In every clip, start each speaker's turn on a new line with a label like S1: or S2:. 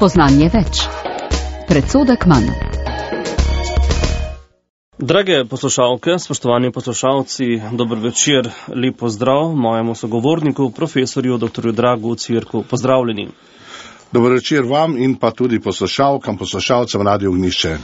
S1: Spoznanje več. Predsodek manj.
S2: Drage poslušalke, spoštovani poslušalci, dober večer, lep pozdrav mojemu sogovorniku, profesorju dr. Dragu Cvirku. Pozdravljeni.
S3: Dober večer vam in pa tudi poslušalkam, poslušalcem Radio Ognjišče.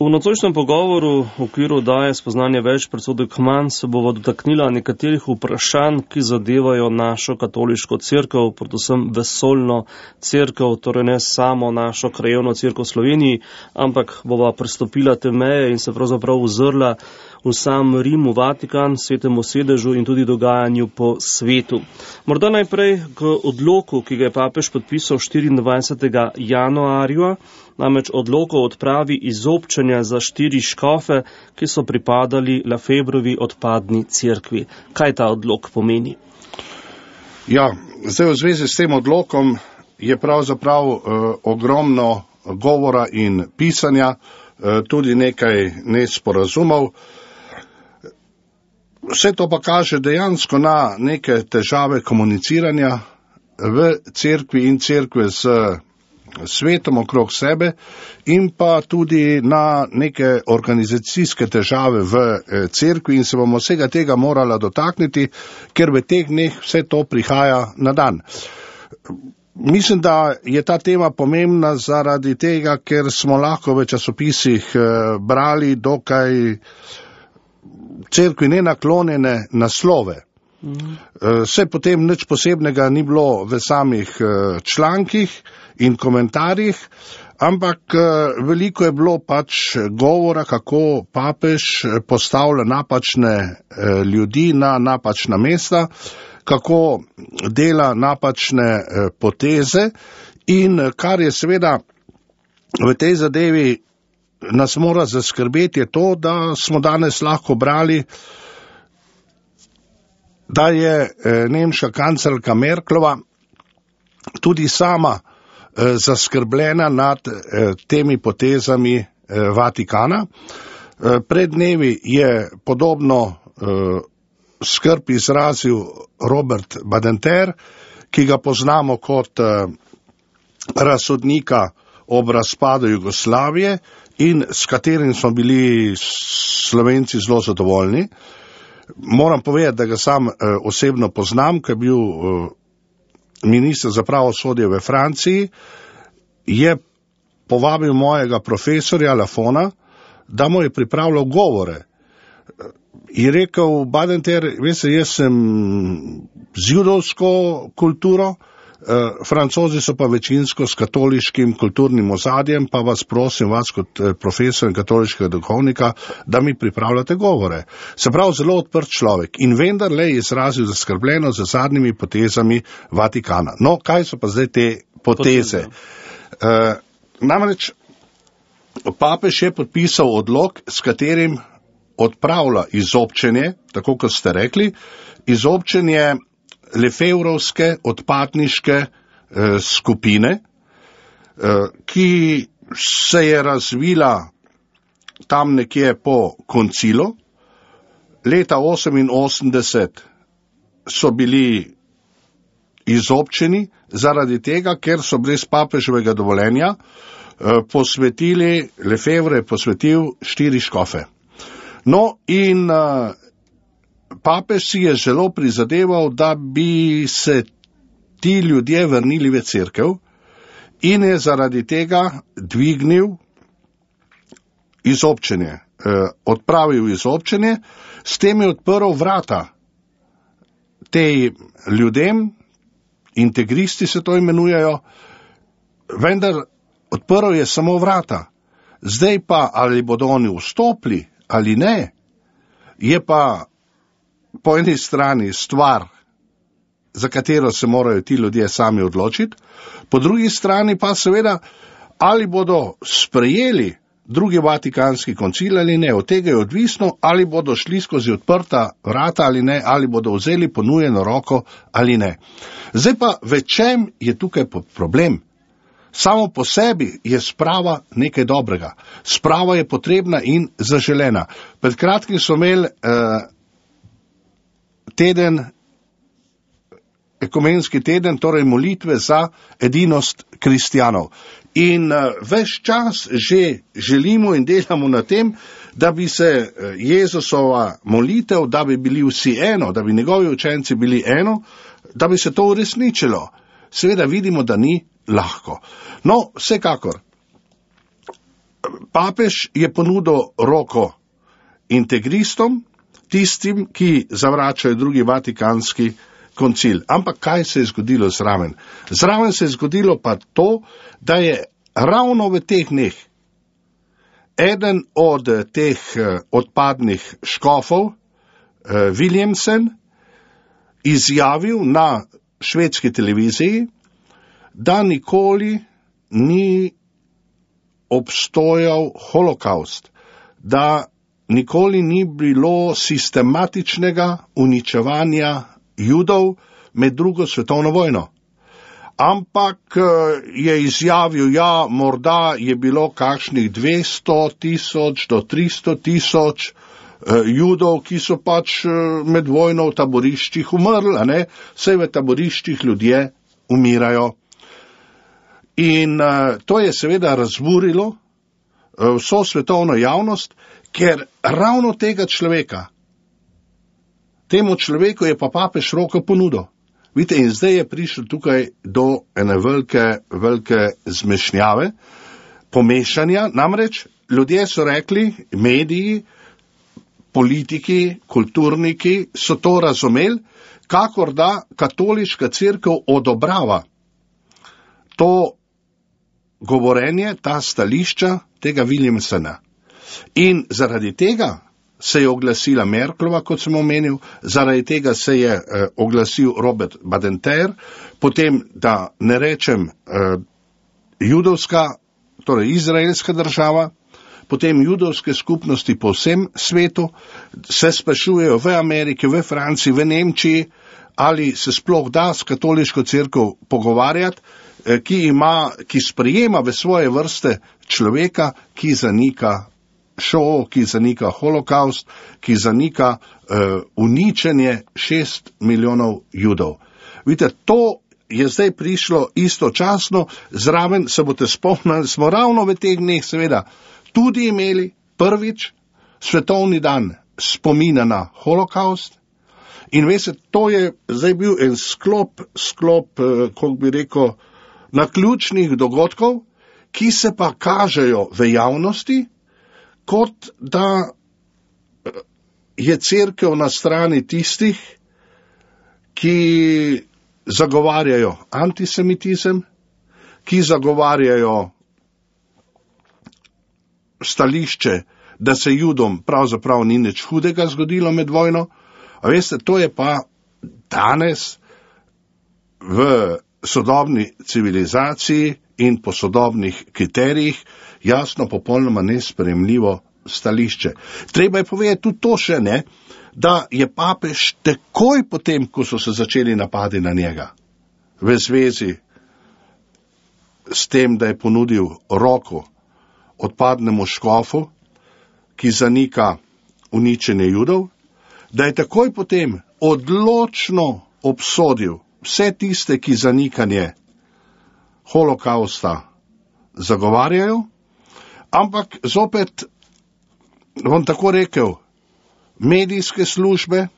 S2: V nocojšnjem pogovoru v okviru oddaje Spoznanje več, predsodek manj se bova dotaknila nekaterih vprašanj, ki zadevajo našo katoliško cerkev, predvsem vesoljno cerkev, torej ne samo našo krajevno cerkev v Sloveniji, ampak bova prestopila te meje in se pravzaprav ozrla v sam Rim, v Vatikan, svetemu sedežu in tudi dogajanju po svetu. Morda najprej k odloku, ki ga je papež podpisal 24. januarja, namreč odlok o odpravi izobčenja za 4 škofe, ki so pripadali Lefebvrovi odpadni cerkvi. Kaj ta odlok pomeni?
S3: Ja, zdaj v zvezi s tem odlokom je pravzaprav ogromno govora in pisanja, tudi nekaj nesporazumov. Vse to pa kaže dejansko na neke težave komuniciranja v cerkvi in cerkve z svetom okrog sebe in pa tudi na neke organizacijske težave v cerkvi in se bomo vsega tega morala dotakniti, ker v teh dneh vse to prihaja na dan. Mislim, da je ta tema pomembna zaradi tega, ker smo lahko v časopisih brali dokaj cerkvi nenaklonjene naslove. Vse potem nič posebnega ni bilo v samih člankih in komentarjih, ampak veliko je bilo pač govora, kako papež postavlja napačne ljudi na napačna mesta, kako dela napačne poteze in kar je seveda v tej zadevi nas mora zaskrbeti je to, da smo danes lahko brali, da je nemška kanclerka Merklova tudi sama zaskrbljena nad temi potezami Vatikana. Pred dnevi je podobno skrb izrazil Robert Badinter, ki ga poznamo kot razsodnika ob razpadu Jugoslavije in s katerim smo bili Slovenci zelo zadovoljni. Moram povedati, da ga sam osebno poznam, ko je bil minister za pravosodje v Franciji, je povabil mojega profesorja Lafona, da mu je pripravljal govore. Je rekel, Badinter, veste, jaz sem z judovsko kulturo, Francozi so pa večinsko s katoliškim kulturnim ozadjem, pa vas prosim, vas kot profesor in katoliškega duhovnika, da mi pripravljate govore. Se pravi, zelo odprt človek in vendarle je izrazil zaskrbljeno za zadnjimi potezami Vatikana. No, kaj so pa zdaj te poteze? Namreč, papež je podpisal odlok, s katerim odpravlja izobčenje, tako kot ste rekli, izobčenje Lefebvrovske odpadniške skupine, ki se je razvila tam nekje po koncilu. Leta 1988 so bili izobčeni zaradi tega, ker so brez papeževega dovoljenja posvetili, Lefebvre je posvetil 4 škofe. No in papež si je zelo prizadeval, da bi se ti ljudje vrnili v cerkev in je zaradi tega dvignil izobčenje, odpravil izobčenje, s tem je odprl vrata tej ljudem, integristi se to imenujejo, vendar odprl je samo vrata. Zdaj pa, ali bodo oni vstopili ali ne, je pa po eni strani stvar, za katero se morajo ti ljudje sami odločiti, po drugi strani pa seveda, ali bodo sprejeli drugi Vatikanski koncil ali ne. Od tega je odvisno, ali bodo šli skozi odprta vrata ali ne, ali bodo vzeli ponujeno roko ali ne. Zdaj pa, v čem je tukaj problem? Samo po sebi je sprava nekaj dobrega. Sprava je potrebna in zaželena. Pred kratkim smo imeli teden ekumenski teden, torej molitve za edinost kristjanov. In ves čas že želimo in delamo na tem, da bi se Jezusova molitev, da bi bili vsi eno, da bi njegovi učenci bili eno, da bi se to uresničilo. Seveda vidimo, da ni lahko. No, vsekakor, papež je ponudil roko integristom, tistim, ki zavračajo drugi vatikanski koncil. Ampak kaj se je zgodilo zraven? Zraven se je zgodilo pa to, da je ravno v teh dneh eden od teh odpadnih škofov, Williamson, izjavil na švedski televiziji, da nikoli ni obstojal holokaust, da nikoli ni bilo sistematičnega uničevanja Judov med drugo svetovno vojno. Ampak je izjavil, ja, morda je bilo kakšnih 200,000 do 300,000 Judov, ki so pač med vojno v taboriščih umrli, a ne? Saj v taboriščih ljudje umirajo. In to je seveda razburilo vso svetovno javnost, ker ravno tega človeka, temu človeku je pa papež roko ponudil. Vidite, in zdaj je prišel tukaj do ene velike zmešnjave, pomešanja, namreč ljudje so rekli, mediji, politiki, kulturniki so to razumeli, kakor da katoliška cerkev odobrava to govorenje, ta stališča tega Williamsona. In zaradi tega se je oglasila Merklova, kot sem omenil, zaradi tega se je oglasil Robert Badinter, potem, da ne rečem, judovska, torej izraelska država, potem judovske skupnosti po vsem svetu se sprašujejo v Ameriki, v Franciji, v Nemčiji, ali se sploh da s katoliško cerkev pogovarjati, ki sprejema v svoje vrste človeka, ki zanika šov, ki zanika holokaust, ki zanika uničenje 6 milijonov Judov. Vidite, to je zdaj prišlo istočasno, zraven se boste spomnili, smo ravno v teh dneh seveda tudi imeli prvič svetovni dan spomina na holokaust in veste, to je zdaj bil en sklop, kako bi rekel, naključnih dogodkov, ki se pa kažejo v javnosti, kot da je cerkev na strani tistih, ki zagovarjajo antisemitizem, ki zagovarjajo stališče, da se Judom pravzaprav ni nič hudega zgodilo med vojno. A veste, to je pa danes v sodobni civilizaciji in po sodobnih kriterijih jasno popolnoma nesprejemljivo stališče. Treba je povedati tudi to še, ne, da je papež takoj potem, ko so se začeli napadi na njega, v zvezi s tem, da je ponudil roko odpadnemu škofu, ki zanika uničenje Judov, da je takoj potem odločno obsodil vse tiste, ki zanikanje holokausta zagovarjajo, ampak zopet bom tako rekel, medijske službe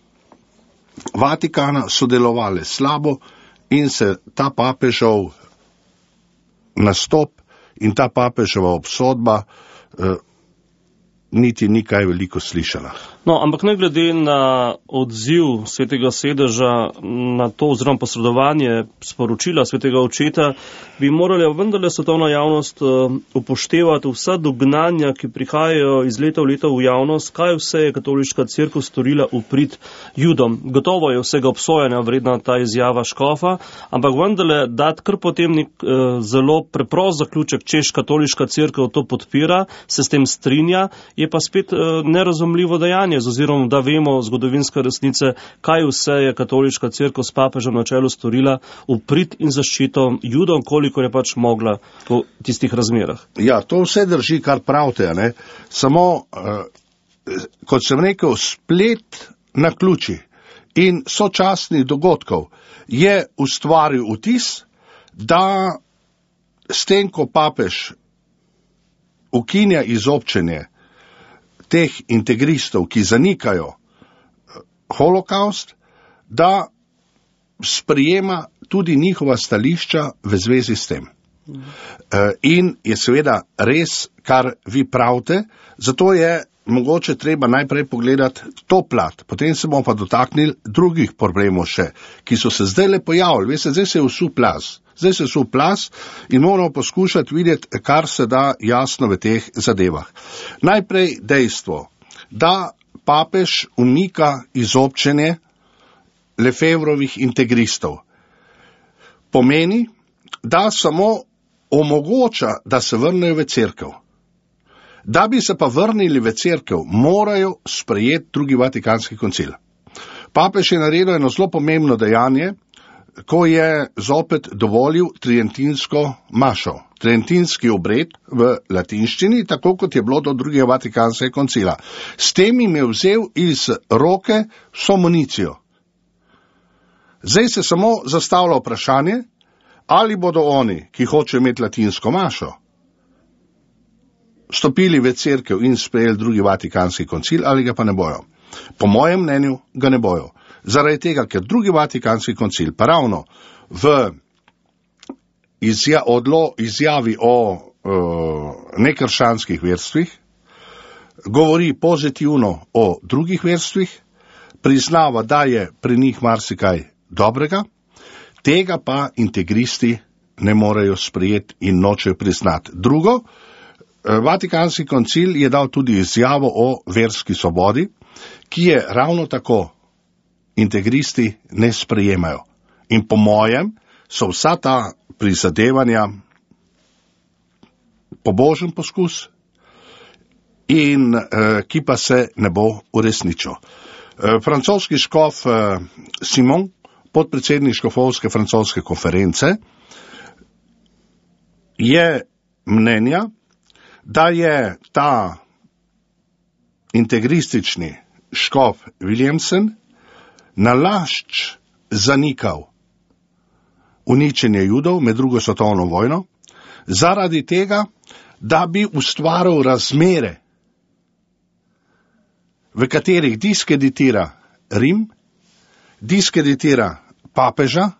S3: Vatikana so delovale slabo in se ta papežov nastop in ta papeževa obsodba niti ni kaj veliko slišala.
S2: No, ampak ne glede na odziv Svetega sedeža na to oziroma posredovanje sporočila Svetega očeta, bi morala vendarle svetovna javnost upoštevati vsa dognanja, ki prihajajo iz leta v leto v javnost, kaj vse je katoliška cerkev storila v prid Judom. Gotovo je vsega obsojanja vredna ta izjava škofa, ampak vendarle dati kar potem zelo preprost zaključek, češ katoliška cerkev to podpira, se s tem strinja, je pa spet nerazumljivo dejanje, oziroma da vemo zgodovinske resnice, kaj vse je katoliška cerkev s papežem na čelu storila v prid in zaščito Judom, koliko je pač mogla v tistih razmerah.
S3: Ja, to vse drži, kar pravite, ne? Samo, kot sem rekel, splet naključi in sočasnih dogodkov je ustvaril vtis, da s tem, ko papež ukinja izobčenje teh integristov, ki zanikajo holokaust, da sprijema tudi njihova stališča v zvezi s tem. In je seveda res, kar vi pravite, zato je mogoče treba najprej pogledati to plat, potem se bomo pa dotaknili drugih problemov še, ki so se zdaj le pojavili. Veste, zdaj se je vsul plaz in moramo poskušati videti, kar se da jasno v teh zadevah. Najprej dejstvo, da papež umika izobčenje Lefevrovih integristov. Pomeni, da samo omogoča, da se vrnejo v cerkev. Da bi se pa vrnili v cerkev, morajo sprejeti drugi Vatikanski koncil. Papež je naredil eno zelo pomembno dejanje, ko je zopet dovolil tridentinsko mašo, tridentinski obred v latinščini, tako kot je bilo do drugega Vatikanskega koncila. S tem jim je vzel iz roke vso municijo. Zdaj se samo zastavlja vprašanje, ali bodo oni, ki hočejo imeti latinsko mašo, stopili v cerkev in sprejeli drugi Vatikanski koncil, ali ga pa ne bojo. Po mojem mnenju ga ne bojo. Zaradi tega, ker drugi Vatikanski koncil pa ravno v izjavi o nekrščanskih verstvih govori pozitivno o drugih verstvih, priznava, da je pri njih marsikaj dobrega, tega pa integristi ne morejo sprejeti in nočejo priznati. Drugo, Vatikanski koncil je dal tudi izjavo o verski svobodi, ki je ravno tako integristi ne sprejemajo. In po mojem so vsa ta prizadevanja pobožen poskus in ki pa se ne bo uresničil. Francoski škof Simon, podpredsednik škofovske francoske konference, je mnenja, da je ta integristični škof Williamson nalašč zanikal uničenje Judov med drugo svetovno vojno, zaradi tega, da bi ustvaril razmere, v katerih diskreditira Rim, diskreditira papeža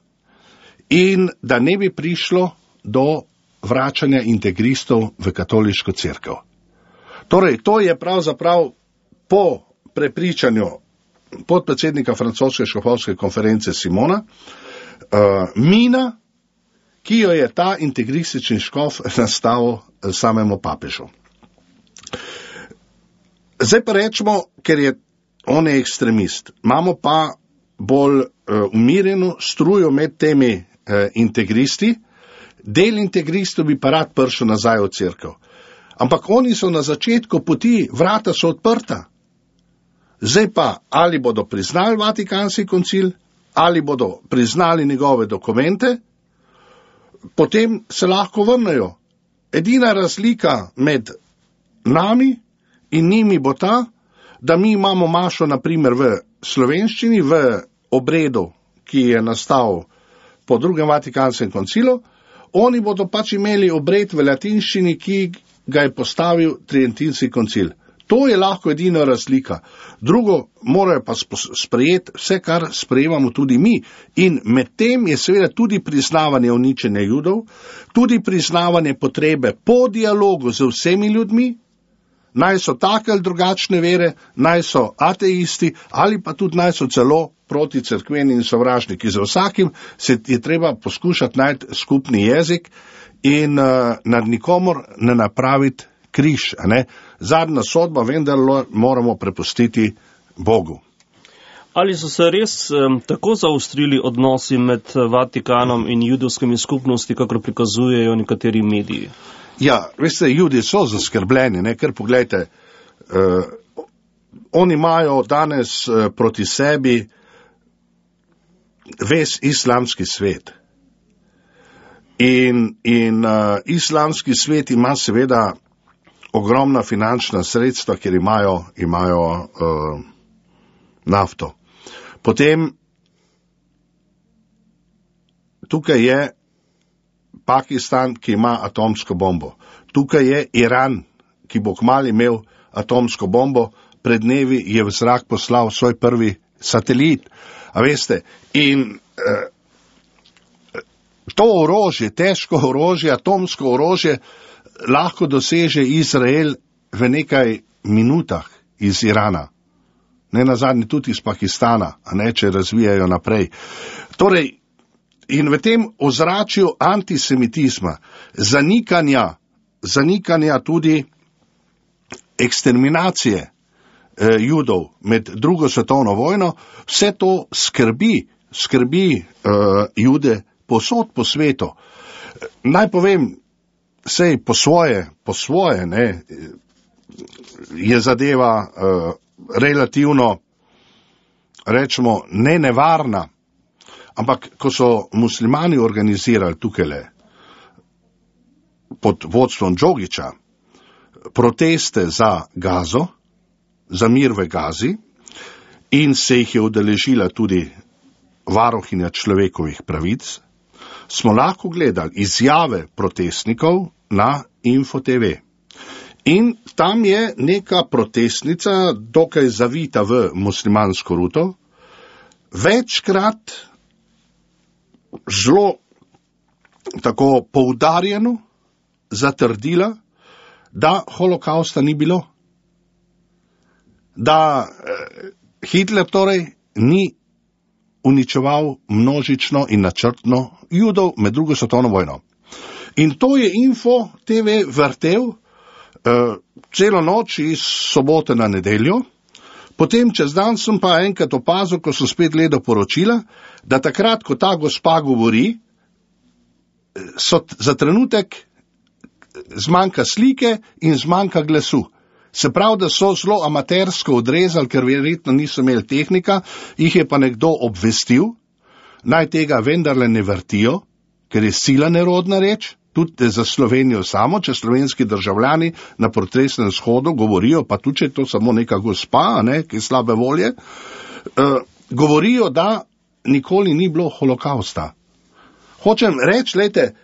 S3: in da ne bi prišlo do vračanja integristov v katoliško cerkev. Torej, to je pravzaprav po prepričanju podpredsednika francoske škofovske konference Simona mina, ki jo je ta integristični škof nastavil samemu papežu. Zdaj pa rečemo, ker je on je ekstremist, imamo pa bolj umirjeno strujo med temi integristi. Del integristov bi pa rad prišel nazaj v cerkev. Ampak oni so na začetku poti, vrata so odprta. Zdaj pa, ali bodo priznali Vatikanski koncil, ali bodo priznali njegove dokumente, potem se lahko vrnejo. Edina razlika med nami in njimi bo ta, da mi imamo mašo naprimer v slovenščini, v obredu, ki je nastal po drugem Vatikanskem koncilu, oni bodo pač imeli obred v latinščini, ki ga je postavil tridentinski koncil. To je lahko edina razlika. Drugo, morajo pa sprejeti vse, kar sprejemamo tudi mi. In med tem je seveda tudi priznavanje uničenja Judov, tudi priznavanje potrebe po dialogu z vsemi ljudmi, naj so take ali drugačne vere, naj so ateisti ali pa tudi naj so celo proti cerkveni in sovražniki. Za vsakim se je treba poskušati najti skupni jezik in nad nikomor ne napraviti križ. Zadnja sodba vendar moramo prepustiti Bogu.
S2: Ali so se res tako zaostrili odnosi med Vatikanom in judovskimi skupnosti, kakor prikazujejo nekateri mediji?
S3: Ja, veste, Judi so zaskrbljeni, ker pogledajte, oni imajo danes proti sebi ves islamski svet. In islamski svet ima seveda ogromna finančna sredstva, ker imajo nafto. Potem tukaj je Pakistan, ki ima atomsko bombo. Tukaj je Iran, ki bo kmalu imel atomsko bombo. Pred dnevi je v zrak poslal svoj prvi satelit. A veste, in to orožje, težko orožje, atomsko orožje, lahko doseže Izrael v nekaj minutah iz Irana. Ne nazadnje tudi iz Pakistana, a ne, če razvijajo naprej. Torej, in v tem ozračju antisemitizma, zanikanja tudi eksterminacije Judov med drugo svetovno vojno, vse to skrbi Jude povsod po svetu. Naj povem, sej po svoje, ne, je zadeva relativno, rečemo, ne nevarna, ampak ko so muslimani organizirali tukajle pod vodstvom Džogića proteste za Gazo, za mir v Gazi, in se jih je udeležila tudi varuhinja človekovih pravic, smo lahko gledali izjave protestnikov na Info TV. In tam je neka protestnica, dokaj zavita v muslimansko ruto, večkrat zelo tako poudarjeno zatrdila, da holokausta ni bilo. Da Hitler torej ni uničeval množično in načrtno Judov med drugo svetovno vojno. In to je Info TV vrtel celo noč iz sobote na nedeljo. Potem čez dan sem pa enkrat opazil, ko sem spet gledal poročila, da takrat, ko ta gospa govori, za trenutek zmanjka slike in zmanjka glasu. Se pravi, da so zelo amatersko odrezali, ker verjetno niso imeli tehnika, jih je pa nekdo obvestil, naj tega vendarle ne vrtijo, ker je sila nerodna reč, tudi za Slovenijo samo, če slovenski državljani na protestnem shodu govorijo, pa tudi če je to samo neka gospa, ne, ki je slabe volje, govorijo, da nikoli ni bilo holokausta. Hočem reči, lejte,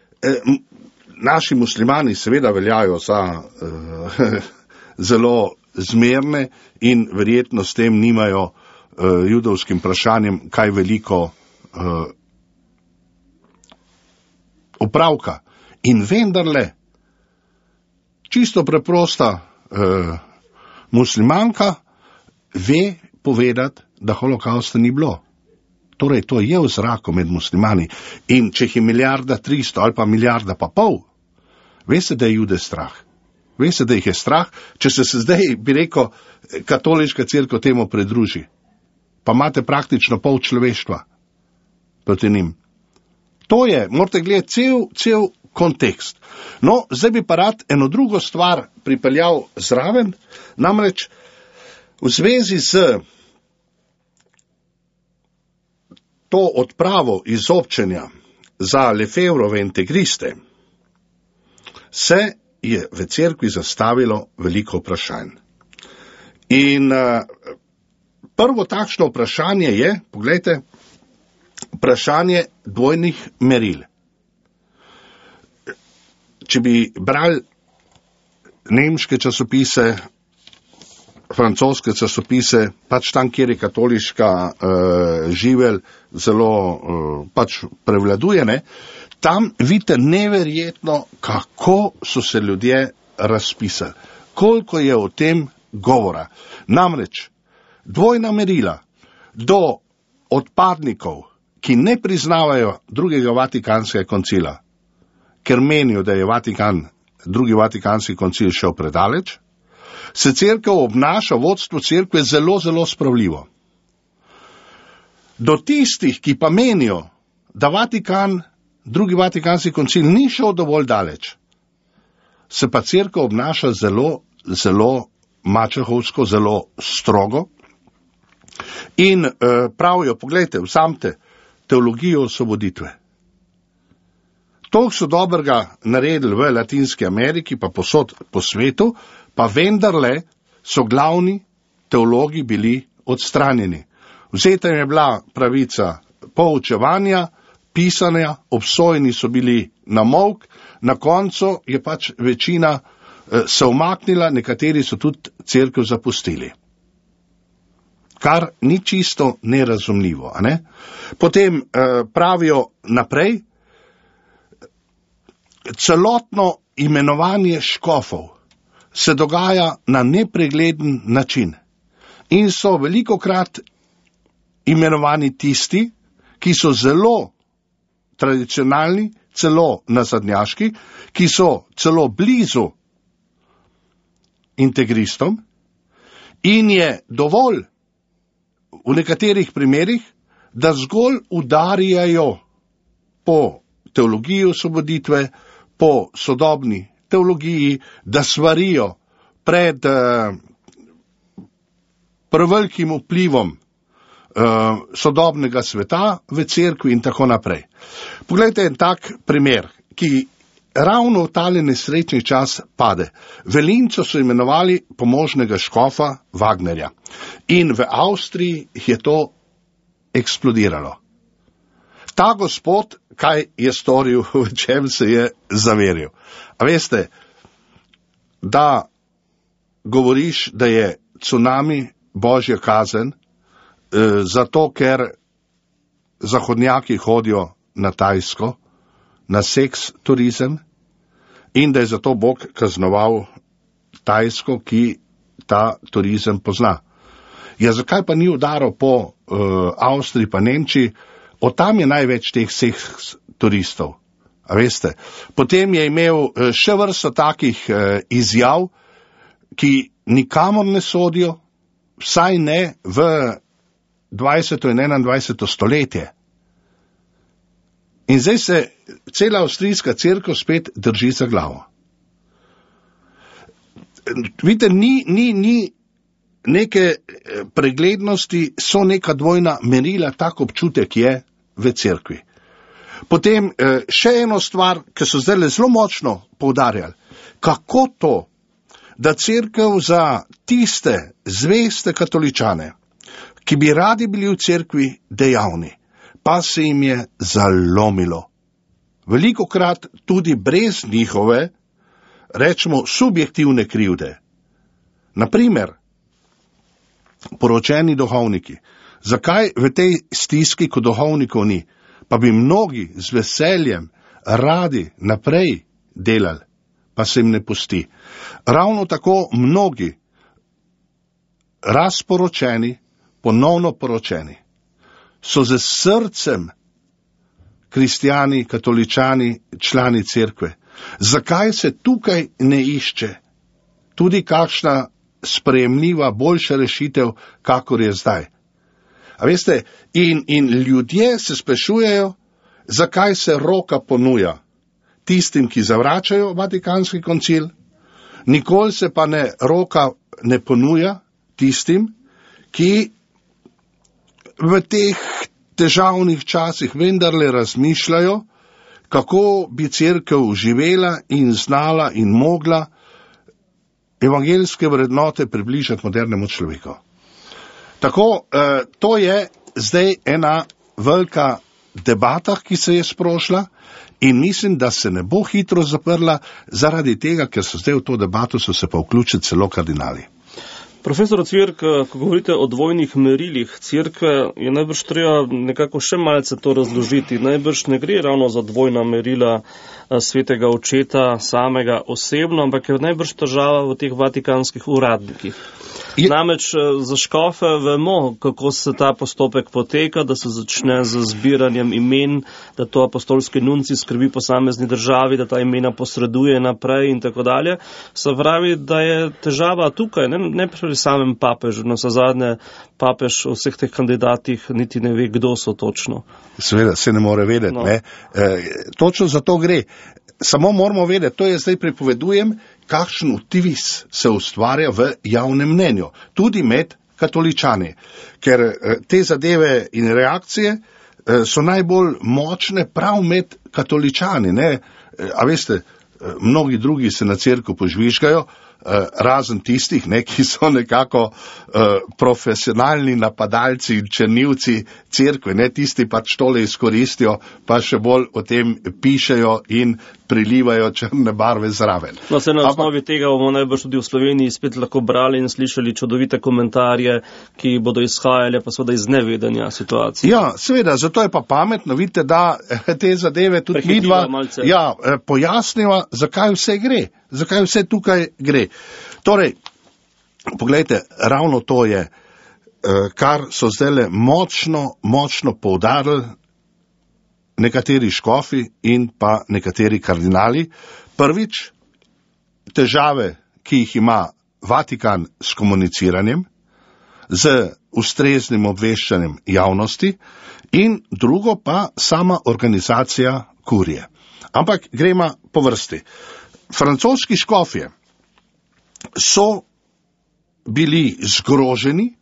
S3: naši muslimani seveda veljajo za zelo zmerne in verjetno s tem nimajo judovskim vprašanjem kaj veliko opravka. In vendarle, čisto preprosta muslimanka ve povedati, da holokausta ni bilo. Torej, to je v zraku med muslimani. In če jih je 1,3 ali pa 1,5 milijarde, veste, da je Jude strah. Veste, da jih je strah, če se zdaj, bi rekel, katoliška cerkev temu pridruži. Pa imate praktično pol človeštva proti njim. To je, morate gledati cel kontekst. No, zdaj bi pa rad eno drugo stvar pripeljal zraven, namreč v zvezi z to odpravo izobčenja za Lefevrove integriste se je v cerkvi zastavilo veliko vprašanj. In prvo takšno vprašanje je, poglejte, vprašanje dvojnih meril. Če bi brali nemške časopise, francoske časopise, pač tam, kjer je katoliška živelj zelo pač prevladuje, ne, tam vidite neverjetno, kako so se ljudje razpisali, koliko je o tem govora. Namreč, dvojna merila do odpadnikov, ki ne priznavajo drugega Vatikanskega koncila, ker menijo, da je drugi Vatikanski koncil šel predaleč, se cerkev obnaša, vodstvo cerkve zelo, zelo spravljivo. Do tistih, ki pa menijo, da drugi Vatikanski koncil ni šel dovolj daleč, se pa cerkev obnaša zelo, zelo mačehovsko, zelo strogo in pravijo, poglejte, vzamte teologijo osvoboditve. To so dobrega naredili v Latinski Ameriki, pa posod po svetu, pa vendarle so glavni teologi bili odstranjeni. Vzeta jim je bila pravica poučevanja, pisanja, obsojeni so bili na molk, na koncu je pač večina se umaknila, nekateri so tudi cerkev zapustili. Kar ni čisto nerazumljivo. A ne? Potem pravijo naprej, celotno imenovanje škofov se dogaja na nepregleden način in so velikokrat imenovani tisti, ki so zelo tradicionalni, celo nazadnjaški, ki so celo blizu integristom in je dovolj v nekaterih primerih, da zgolj udarjajo po teologiji osvoboditve, po sodobni teologiji, da svarijo pred prevelikim vplivom sodobnega sveta v cerkvi in tako naprej. Poglejte en tak primer, ki ravno v tale nesrečni čas pade. V Lincu so imenovali pomožnega škofa Wagnerja in v Avstriji je to eksplodiralo. Ta gospod, kaj je storil, v čem se je zaveril? A veste, da govoriš, da je cunami božja kazen, zato ker zahodnjaki hodijo na Tajsko, na seks turizem in da je zato Bog kaznoval Tajsko, ki ta turizem pozna. Ja, zakaj pa ni udaril po Avstriji pa Nemčiji? Od tam je največ teh seks turistov. A veste? Potem je imel še vrsto takih izjav, ki nikamor ne sodijo, vsaj ne v 20. in 21. stoletje. In zdaj se cela avstrijska cerkev spet drži za glavo. Vidite, ni neke preglednosti, so neka dvojna merila, tak občutek je v cerkvi. Potem še eno stvar, ki so zdaj zelo močno poudarjali. Kako to, da cerkev za tiste zveste katoličane, ki bi radi bili v cerkvi dejavni, pa se jim je zalomilo. Velikokrat tudi brez njihove, rečemo, subjektivne krivde. Naprimer, poročeni duhovniki. Zakaj v tej stiski, ko duhovnikov ni? Pa bi mnogi z veseljem radi naprej delali, pa se jim ne pusti. Ravno tako mnogi razporočeni, ponovno poročeni, so z srcem kristjani, katoličani, člani cerkve. Zakaj se tukaj ne išče tudi kakšna sprejemljiva, boljša rešitev, kakor je zdaj? A veste, in ljudje se sprašujejo, zakaj se roka ponuja tistim, ki zavračajo Vatikanski koncil, nikoli se pa roka ne ponuja tistim, ki v teh težavnih časih vendarle razmišljajo, kako bi cerkev živela in znala in mogla evangeljske vrednote približati modernemu človeku. Tako, to je zdaj ena velika debata, ki se je sprošla in mislim, da se ne bo hitro zaprla zaradi tega, ker so zdaj v to debato so se pa vključili celo kardinali.
S2: Profesor Ocvirk, ko govorite o dvojnih merilih cerkve, je najbrž treba nekako še malce to razložiti. Najbrž ne gre ravno za dvojna merila svetega očeta samega osebno, ampak je najbrž težava v teh vatikanskih uradnikih. Namreč za škofe vemo, kako se ta postopek poteka, da se začne z zbiranjem imen, da to apostolski nunci skrbi posamezni državi, da ta imena posreduje naprej in tako dalje. Se pravi, da je težava tukaj, ne pri samem papežu, no za zadnje papež o vseh teh kandidatih niti ne ve, kdo so točno.
S3: Seveda se ne more vedeti, no. Ne? Točno za to gre. Samo moramo vedeti, to je zdaj pripovedujem, kakšen vtis se ustvarja v javnem mnenju, tudi med katoličani, ker te zadeve in reakcije so najbolj močne prav med katoličani, ne? A veste, mnogi drugi se na cerkev požvižgajo, razen tistih, ki so nekako profesionalni napadalci in črnivci cerkve, tisti pač tole izkoristijo, pa še bolj o tem pišejo in prilivajo črne barve zraven.
S2: No, se na osnovi tega bomo najbrž tudi v Sloveniji spet lahko brali in slišali čudovite komentarje, ki bodo izhajali pa seveda iz nevedenja situacije.
S3: Ja, seveda, zato je pa pametno, vidite, da te zadeve tudi midva pojasniva, zakaj vse gre. Zakaj vse tukaj gre? Torej, poglejte, ravno to je, kar so zdajle močno poudarili nekateri škofi in pa nekateri kardinali. Prvič, težave, ki jih ima Vatikan s komuniciranjem, z ustreznim obveščanjem javnosti in drugo pa sama organizacija kurije. Ampak gremo po vrsti. Francoski škofje so bili zgroženi,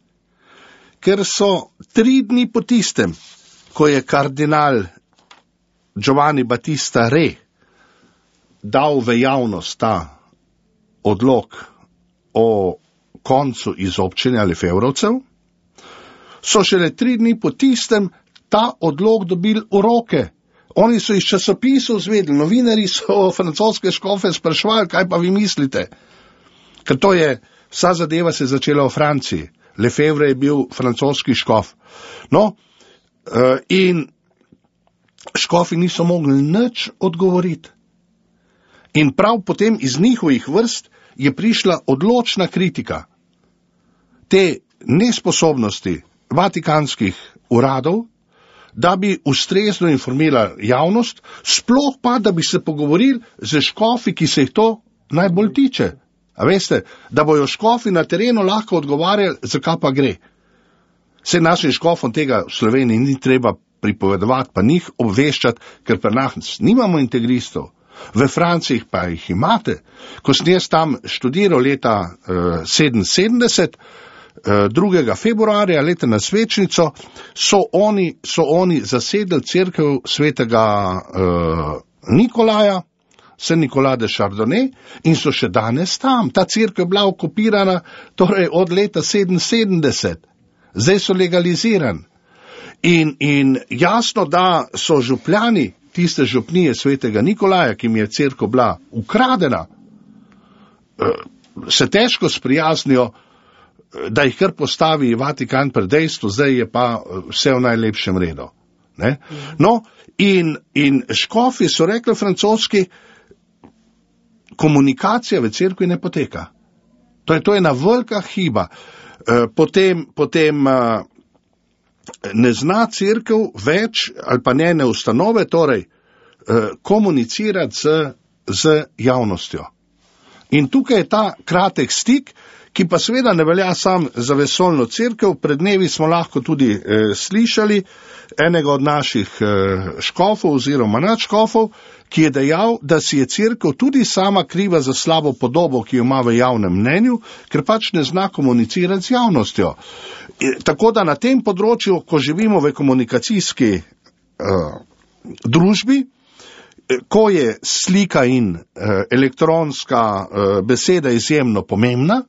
S3: ker so 3 dni po tistem, ko je kardinal Giovanni Battista Re dal v javnost ta odlok o koncu izobčenja Lefevrovcev, so šele 3 dni po tistem ta odlok dobili v roke. Oni so iz časopisov zvedeli, novinari so francoske škofe spraševali, kaj pa vi mislite? Ker to je, vsa zadeva se je začela v Franciji. Lefevre je bil francoski škof. No, in škofi niso mogli nič odgovoriti. In prav potem iz njihovih vrst je prišla odločna kritika te nesposobnosti vatikanskih uradov, da bi ustrezno informirali javnost, sploh pa, da bi se pogovorili z škofi, ki se jih to najbolj tiče. A veste, da bojo škofi na terenu lahko odgovarjali, zakaj pa gre. Saj našim škofom tega v Sloveniji ni treba pripovedovati, pa njih obveščati, ker pri nas nimamo integristov. V Franciji pa jih imate. Ko sem jaz tam študiral leta 77, 2. februarja leta na svečnico, so oni zasedli cerkev svetega Nikolaja, Saint Nicolas de Chardonnay, in so še danes tam. Ta cerkev je bila okupirana torej od leta 77. Zdaj so legalizirani. In jasno, da so župljani tiste župnije svetega Nikolaja, ki mi je cerkev bila ukradena, se težko sprijaznijo, da jih kar postavi Vatikan pred dejstvo, zdaj je pa vse v najlepšem redu. Ne? No, in škofi so rekli francoski, komunikacija v cerkvi ne poteka. To je ena velika hiba. Potem ne zna cerkev več, ali pa njene ustanove, torej komunicirati z javnostjo. In tukaj je ta kratek stik, ki pa seveda ne velja sam za vesoljno cerkev. Pred dnevi smo lahko tudi slišali enega od naših škofov oziroma nadškofov, ki je dejal, da si je cerkev tudi sama kriva za slabo podobo, ki jo ima v javnem mnenju, ker pač ne zna komunicirati z javnostjo. Tako da na tem področju, ko živimo v komunikacijski družbi, ko je slika in elektronska beseda izjemno pomembna,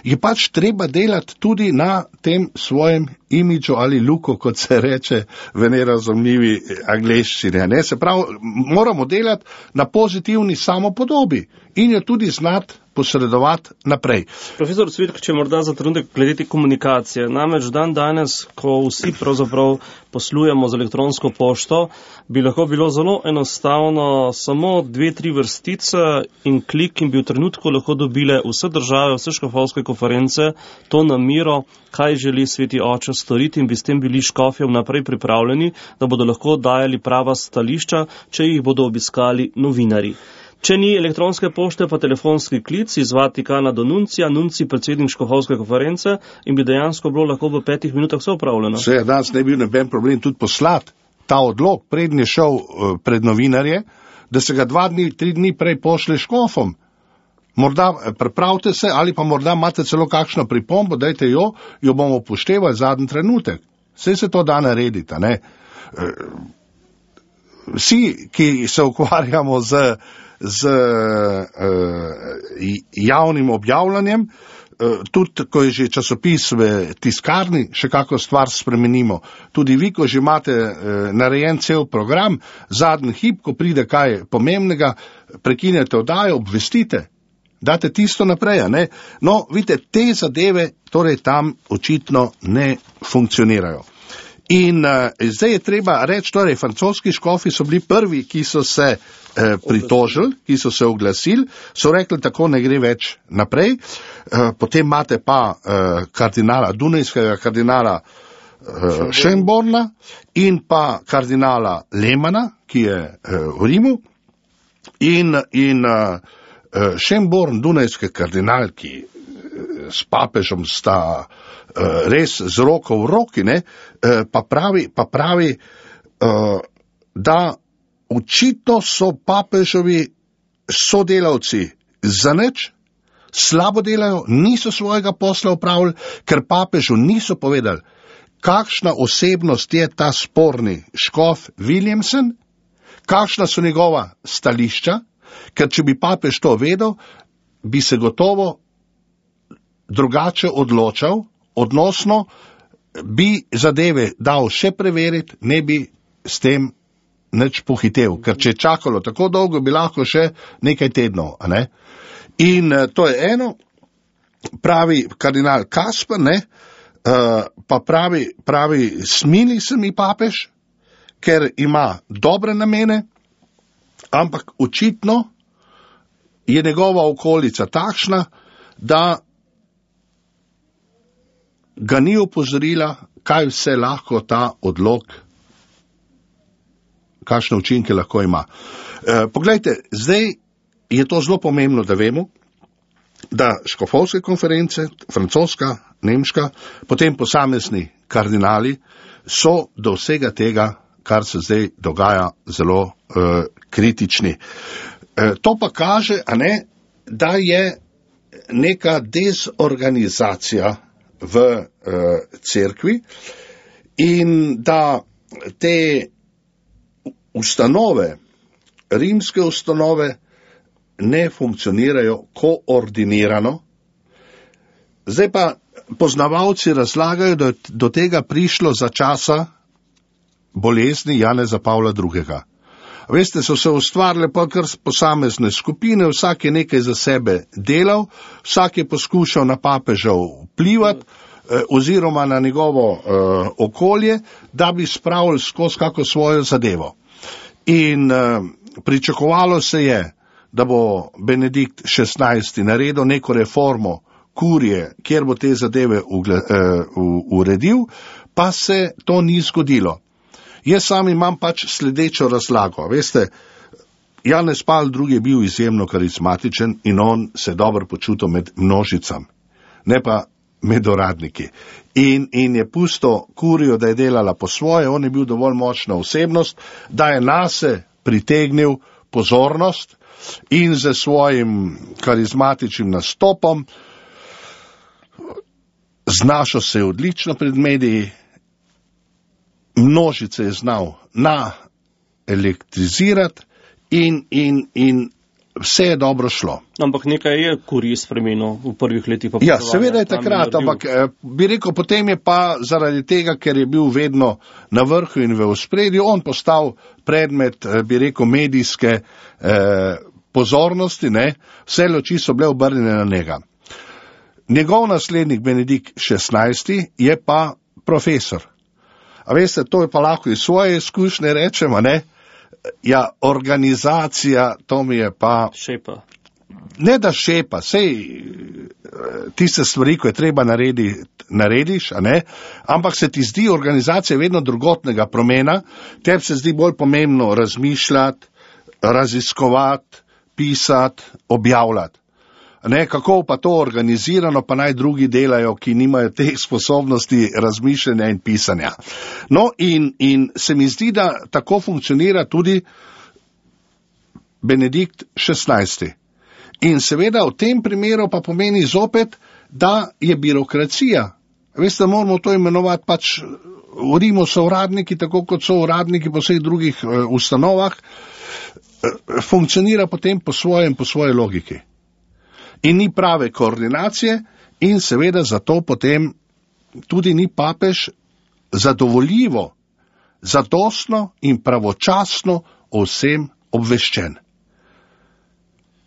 S3: je pač treba delati tudi na tem svojem imidžu ali luku, kot se reče v nerazumljivi angleščini. Se pravi, moramo delati na pozitivni samopodobi in jo tudi znati posredovati naprej.
S2: Profesor Cvirk, če morda za trenutek glede komunikacije. Namreč dan danes, ko vsi pravzaprav poslujemo z elektronsko pošto, bi lahko bilo zelo enostavno samo 2-3 vrstice in klik in bi v trenutku lahko dobile vse države, vse škofovske konference to namero, kaj želi Sveti Oče storiti, in bi s tem bili škofje vnaprej pripravljeni, da bodo lahko dajali prava stališča, če jih bodo obiskali novinari. Če ni elektronske pošte, pa telefonski klic iz Vatikana do nuncija, nuncij predsednik škofovske konference, in bi dejansko bilo lahko v 5 minutah vse opravljeno.
S3: Vse, danes ne bi bil noben problem tudi poslati ta odlok, prednji šel pred novinarje, da se ga 2-3 dni prej pošle škofom. Morda pripravite se, ali pa morda imate celo kakšno pripombo, dajte jo bomo upoštevali zadnji trenutek. Saj se to da narediti, ne? Vsi, ki se ukvarjamo z z javnim objavljanjem, tudi, ko je že časopis v tiskarni, še kako stvar spremenimo. Tudi vi, ko že imate narejen cel program, zadnji hip, ko pride kaj pomembnega, prekinete oddajo, obvestite, date tisto naprej, ne? No, vidite, te zadeve torej tam očitno ne funkcionirajo. In zdaj je treba reči, torej, francoski škofi so bili prvi, ki so se pritožili, ki so se oglasili, so rekli, tako ne gre več naprej. Potem imate pa kardinala, dunajskega kardinala Schönborna in pa kardinala Lehmanna, ki je v Rimu. In Schönborn, dunajski kardinal, ki s papežem sta res z roko v roki, ne, pa pravi, da očitno so papežovi sodelavci zanič, slabo delajo, niso svojega posla opravili, ker papežu niso povedali, kakšna osebnost je ta sporni škof Williamson, kakšna so njegova stališča, ker če bi papež to vedel, bi se gotovo drugače odločal, odnosno bi zadeve dal še preveriti, ne bi s tem nič pohitev, ker če je čakalo tako dolgo, bi lahko še nekaj tednov, a ne? In to je eno, pravi kardinal Kasper, ne, pa pravi, smili se mi papež, ker ima dobre namene, ampak očitno je njegova okolica takšna, da ga ni opozorila, kaj vse lahko ta odlok, kakšne učinke lahko ima. Poglejte, zdaj je to zelo pomembno, da vemo, da škofovske konference, francoska, nemška, potem posamezni kardinali so do vsega tega, kar se zdaj dogaja, zelo kritični. To pa kaže, a ne, da je neka dezorganizacija v cerkvi in da te ustanove, rimske ustanove, ne funkcionirajo koordinirano. Zdaj pa poznavalci razlagajo, da je do tega prišlo za časa bolezni Janeza Pavla II. Veste, so se ustvarile pa kar posamezne skupine, vsak je nekaj za sebe delal, vsak je poskušal na papeža vplivati oziroma na njegovo okolje, da bi spravili skozi kako svojo zadevo. In pričakovalo se je, da bo Benedikt XVI naredil neko reformo kurije, kjer bo te zadeve uredil, pa se to ni zgodilo. Jaz sam imam pač sledečo razlago. Veste, Janez Pavel II je bil izjemno karizmatičen in on se dobro počutil med množicam, ne pa med uradniki. In je pusto kurijo, da je delala po svoje, on je bil dovolj močna osebnost, da je nase pritegnil pozornost in z svojim karizmatičnim nastopom znašel se odlično pred mediji, množice je znal elektrizirati in vse je dobro šlo.
S2: Ampak nekaj je kurij spremenil v prvih letih.
S3: Ja, seveda je takrat, ampak bi rekel, potem je pa zaradi tega, ker je bil vedno na vrhu in v ospredju, on postal predmet, bi rekel, medijske pozornosti, ne, vse luči so bile obrnjene na njega. Njegov naslednik Benedikt XVI je pa profesor. A veste, to je pa lahko iz svoje izkušnje rečemo, ne? Ja, organizacija, to mi je pa...
S2: Šepa.
S3: Ne da šepa, sej tiste stvari, ko je treba narediš, a ne? Ampak se ti zdi organizacija vedno drugotnega pomena, tebi se zdi bolj pomembno razmišljati, raziskovati, pisati, objavljati. Ne, kako pa to organizirano, pa naj drugi delajo, ki nimajo teh sposobnosti razmišljanja in pisanja. No, in se mi zdi, da tako funkcionira tudi Benedikt XVI. In seveda v tem primeru pa pomeni zopet, da je birokracija. Veste, moramo to imenovati pač, v Rimu so uradniki, tako kot so uradniki po vseh drugih ustanovah, funkcionira potem po svoje logiki. In ni prave koordinacije in seveda zato potem tudi ni papež zadovoljivo, zadostno in pravočasno o vsem obveščen.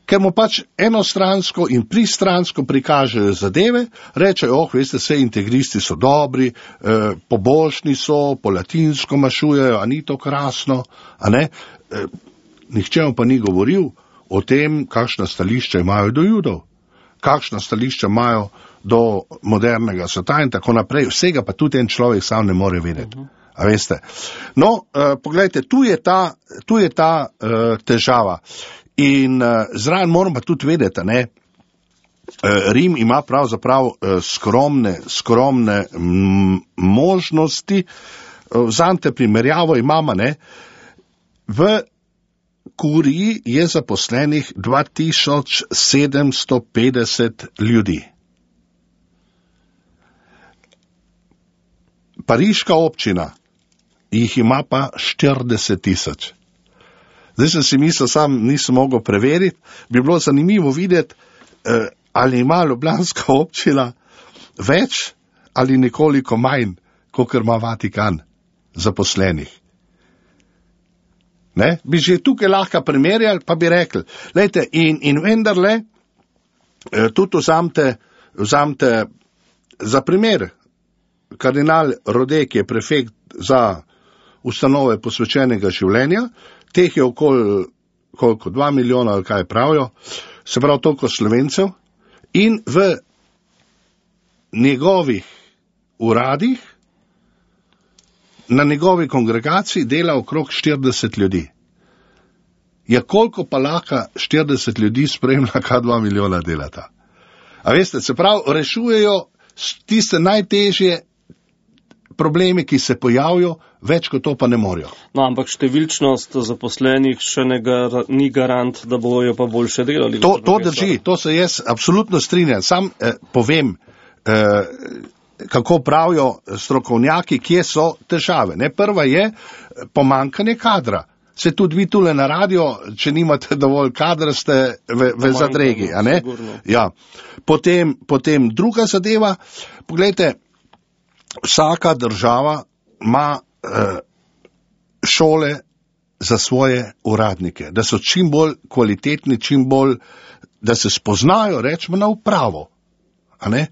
S3: Ker mu pač enostransko in pristransko prikažejo zadeve, rečejo, veste, vse integristi so dobri, pobožni so, po latinsko mašujejo, a ni to krasno, a ne? Nihče mu pa ni govoril o tem, kakšna stališča imajo do Judov, kakšna stališča imajo do modernega sveta in tako naprej. Vsega pa tudi en človek sam ne more vedeti. A veste? No, poglejte, tu je ta težava. In zraven moram pa tudi vedeti, ne, Rim ima pravzaprav skromne možnosti. Vzamite primerjavo, imamo, ne, v kuriji je zaposlenih 2750 ljudi. Pariška občina jih ima pa 40 000. Zdaj sem si mislil, sam nisem mogel preveriti, bi bilo zanimivo videti, ali ima ljubljanska občina več ali nekoliko manj, kakor ima Vatikan zaposlenih. Ne? Bi že tukaj lahko primerjali, pa bi rekli, lejte, in vendarle, tudi vzamte za primer, kardinal Rode, ki je prefekt za ustanove posvečenega življenja, teh je okoli 2 milijona, ali kaj pravijo, se pravi toliko Slovencev, in v njegovih uradih, na njegovi kongregaciji dela okrog 40 ljudi. Ja, koliko pa lahko 40 ljudi spremlja, kaj 2 milijona delata? A veste, se pravi, rešujejo tiste najtežje problemi, ki se pojavijo, več kot to pa ne morejo.
S2: No, ampak številčnost zaposlenih še ni garant, da bojo pa boljše delali.
S3: To drži, to se jaz absolutno strinjam. Sam povem, kako pravijo strokovnjaki, kje so težave. Ne? Prva je pomanjkanje kadra. Se tudi vi tule na radio, če nimate dovolj kadra, ste v zadregi. A ne? Ja. Potem druga zadeva, pogledajte, vsaka država ima šole za svoje uradnike, da so čim bolj kvalitetni, čim bolj, da se spoznajo, rečemo, na upravo. A ne?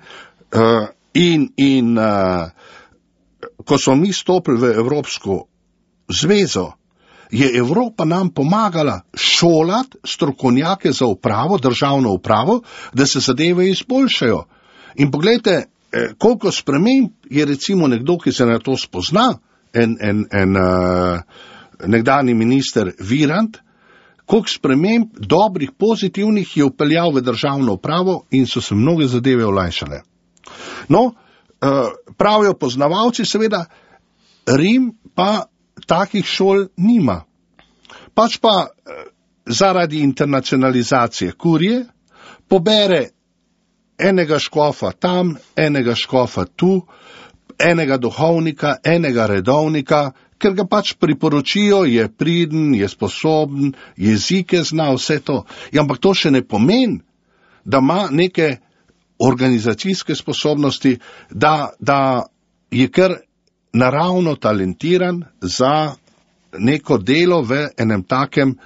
S3: Ko smo mi stopili v Evropsko zvezo, je Evropa nam pomagala šolati strokovnjake za upravo, državno upravo, da se zadeve izboljšajo. In pogledajte, koliko sprememb je recimo nekdo, ki se na to spozna, nekdani minister Virant, koliko sprememb dobrih, pozitivnih je upeljal v državno upravo in so se mnoge zadeve olajšale. No, pravijo poznavalci, seveda, Rim pa takih šol nima. Pač pa zaradi internacionalizacije kurije pobere enega škofa tam, enega škofa tu, enega duhovnika, enega redovnika, ker ga pač priporočijo, je priden, je sposoben, jezike zna, vse to. Ja, ampak to še ne pomeni, da ima neke organizacijske sposobnosti, da je kar naravno talentiran za neko delo v enem takem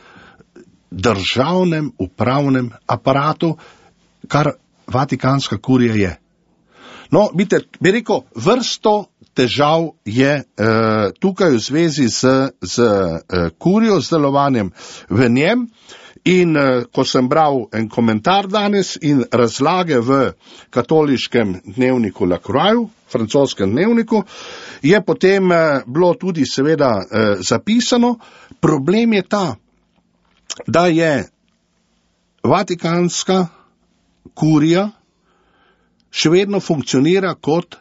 S3: državnem upravnem aparatu, kar Vatikanska kurija je. No, bi rekel, vrsto težav je tukaj v zvezi z kurijo, z delovanjem v njem. In ko sem bral en komentar danes in razlage v katoliškem dnevniku La Croix, francoskem dnevniku, je potem bilo tudi seveda zapisano, problem je ta, da je Vatikanska kurija še vedno funkcionira kot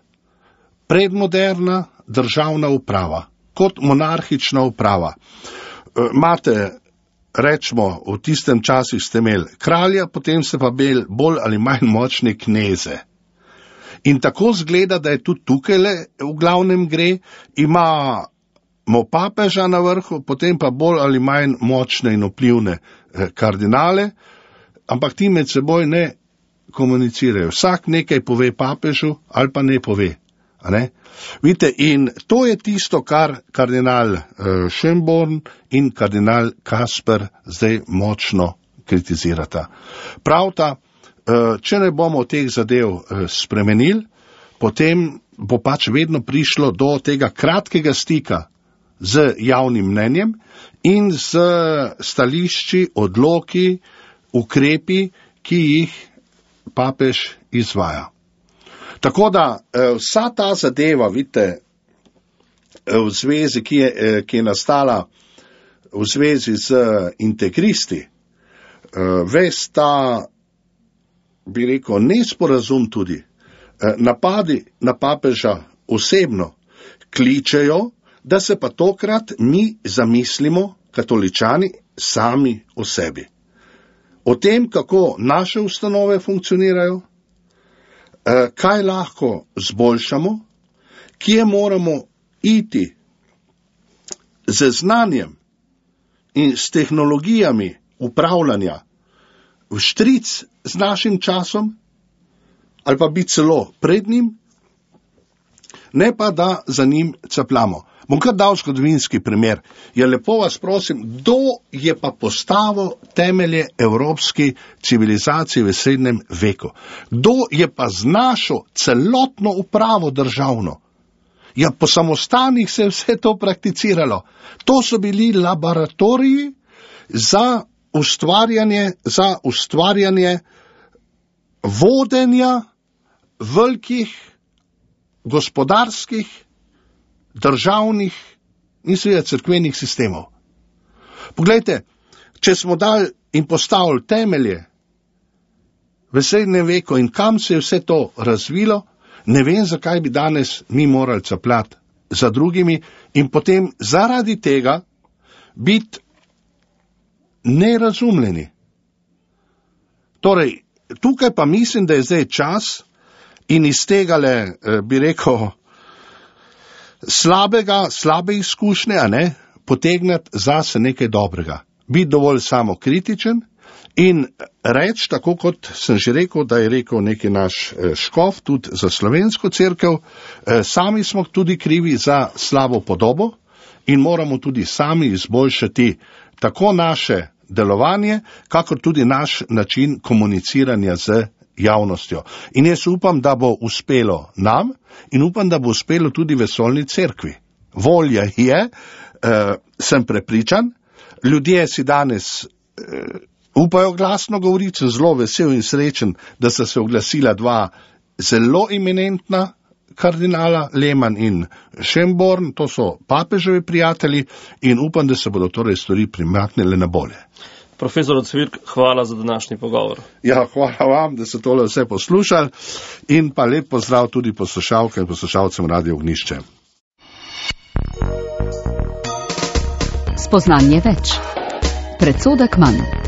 S3: predmoderna državna uprava, kot monarhična uprava. Imate, rečemo, v tistem časih ste imeli kralja, potem ste pa imeli bolj ali manj močne kneze. In tako zgleda, da je tudi tukaj v glavnem gre, ima imamo papeža na vrhu, potem pa bolj ali manj močne in vplivne kardinale, ampak ti med seboj ne komunicirajo. Vsak nekaj pove papežu ali pa ne pove. Ne? Vidite, in to je tisto, kar kardinal Schönborn in kardinal Kasper zdaj močno kritizirata. Pravta, če ne bomo teh zadev spremenili, potem bo pač vedno prišlo do tega kratkega stika z javnim mnenjem in z stališči, odloki, ukrepi, ki jih papež izvaja. Tako da vsa ta zadeva, vidite, v zvezi, ki je nastala v zvezi z integristi, ves ta, bi rekel, nesporazum tudi, napadi na papeža osebno kličejo, da se pa tokrat mi zamislimo, katoličani, sami o sebi. O tem, kako naše ustanove funkcionirajo, kaj lahko zboljšamo, kje moramo iti z znanjem in s tehnologijami upravljanja v štric z našim časom, ali pa biti celo pred njim, ne pa da za njim capljamo. Bom kar dal zgodovinski primer. Ja, lepo vas prosim, kdo je pa postavil temelje evropski civilizaciji v srednjem veku? Kdo je pa znašel celotno upravo državno? Ja, po samostanih se je vse to prakticiralo. To so bili laboratoriji za ustvarjanje vodenja velikih gospodarskih, državnih in seveda cerkvenih sistemov. Poglejte, če smo dali in postavili temelje v srednjem veku in kam se je vse to razvilo, ne vem, zakaj bi danes mi morali capljati za drugimi in potem zaradi tega biti nerazumljeni. Torej, tukaj pa mislim, da je zdaj čas in iz tegale, bi rekel, slabe izkušnje, potegnati zase nekaj dobrega. Biti dovolj samokritičen in reči, tako kot sem že rekel, da je rekel neki naš škof tudi za slovensko cerkev, sami smo tudi krivi za slabo podobo in moramo tudi sami izboljšati tako naše delovanje, kakor tudi naš način komuniciranja z javnostjo. In jaz upam, da bo uspelo nam in upam, da bo uspelo tudi vesoljni cerkvi. Volja je, sem prepričan, ljudje si danes upajo glasno govoriti, sem zelo vesel in srečen, da sta se oglasila dva zelo eminentna kardinala, Lehmann in Schönborn, to so papeževi prijatelji in upam, da se bodo torej stvari premaknile na bolje.
S2: Profesor Cvirk, hvala za današnji pogovor.
S3: Ja, hvala vam, da ste tole vse poslušali in pa lep pozdrav tudi poslušalkam in poslušalcem Radio Ognjišče.
S1: Spoznanje več. Predsodek manj.